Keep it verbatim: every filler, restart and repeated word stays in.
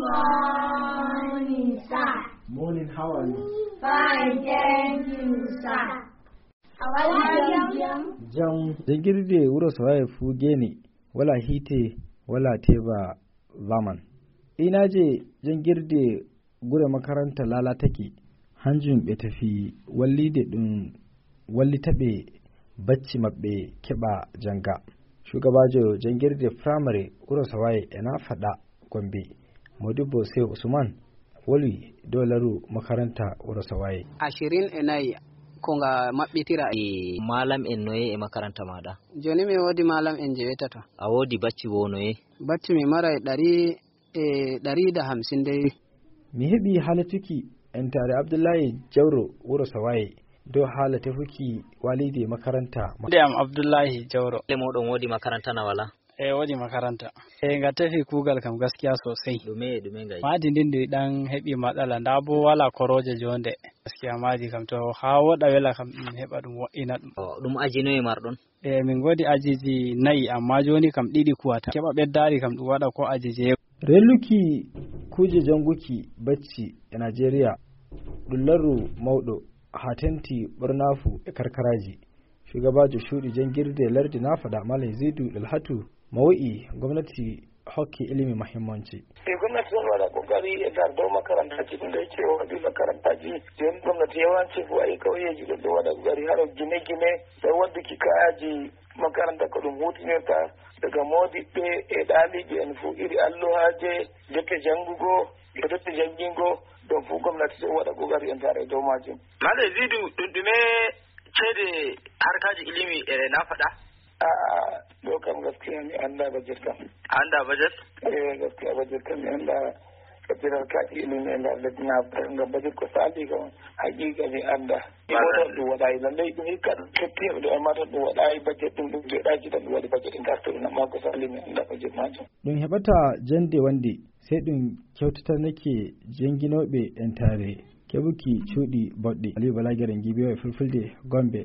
Morning, sir. Morning, how are you? Fine, thank you, sir. How are you? Jam. Jangirde wuro Sawaye fuu geene, wala hiite, wala teeba zaman. Inaaje jangirde gure makaranta laalatake, hanjum ɓe tafi wallide ɗum wallita ɓe bacci maɓɓe keɓa janga. Shugabaajo jangirde firamare wuro Sawaye e na faɗa Gombe, Modibbo Sehu Usman, wolwi dow laru makaranta wuro Sawaye. Ashirin e nayi ko nga maɓɓitira. E malam en noye e makaranta maɗa? Joni mi woodi malam en jeetato. A woodi bacci wo noye? Bacci mi maray ɗari e ɗari da hamsin dey. Mi heɓi haalituki entare Abdullahi Jawro wuro Sawaye dow haala tefuki walide makaranta. Nde am Abdullahi Jawro. Le moɗon woodi makaranta na wala? E woodi makaranta. E nga tefi kuugal kam gaskiya sosai. Ɗume, ɗume ngai? Maadi ndin ndi ɗan heɓi matsala, nda bo wala korooje jonde. Gaskiya maadi kam to ha woɗa wela kam ɗum heɓa ɗum wo'ina ɗum. O, ɗum aji noye marɗon? E min ngoodi ajiji nayi, amma joni kam ɗiɗi kuwata. Keɓa ɓeddaari kam ɗum waɗa ko aji jeego. Relluki kuuje janguki bacci e Najeriya ɗum larru mawɗo ha tenti ɓornafu e karkaraji. Shugabaajo cuuɗi jangirde lardi nafaɗa Malam Zidu Dalhatu mo wi'i gomnati hokki ilimi muhimmanci. E gomnati ɗon waɗa kokari e nder dow makarantaji ɗum ɗo cewa ɗi makarantaji. Joni gomnati yawanci fu ayi kauyeji ɗon ɗo waɗa kokari haro gine gine ɗo wadduki kaayaji makaranta ko ɗum hutinirta daga modiɓɓe e ɗaliɓe en fu iri alluhaje dokke jangugo e dokke jangingo ɗon fu gomnati ɗo waɗa kokari e nder e dow majum. Malam Zidu ɗum ɗume ceede harkaji ilimi e nafaɗa? A'a, ɗo kam gaskiya mi annda bajet kam. Annda bajet? Eh, gaskiya bajet kam mi annda. Kabiral kaji ilimi e nder lesdi nafaɗa ngam bajet ko sali kam haqiqa mi annda. Imo tan ɗum waɗayi lallay ɗum hikka ɗum ketti heɓde amma tan ɗum waɗayi bajet ɗum ɗum joɗaji tan ɗum waɗi bajet e ngartiri amma ko sali mi annda bajet majum. Ɗum heɓata jande wande sey ɗum kewtatanake janginooɓe entare keɓuki cuuɗi boɗɗi. Aliyu Balagere Ngibiyo e Fulfulde Gombe.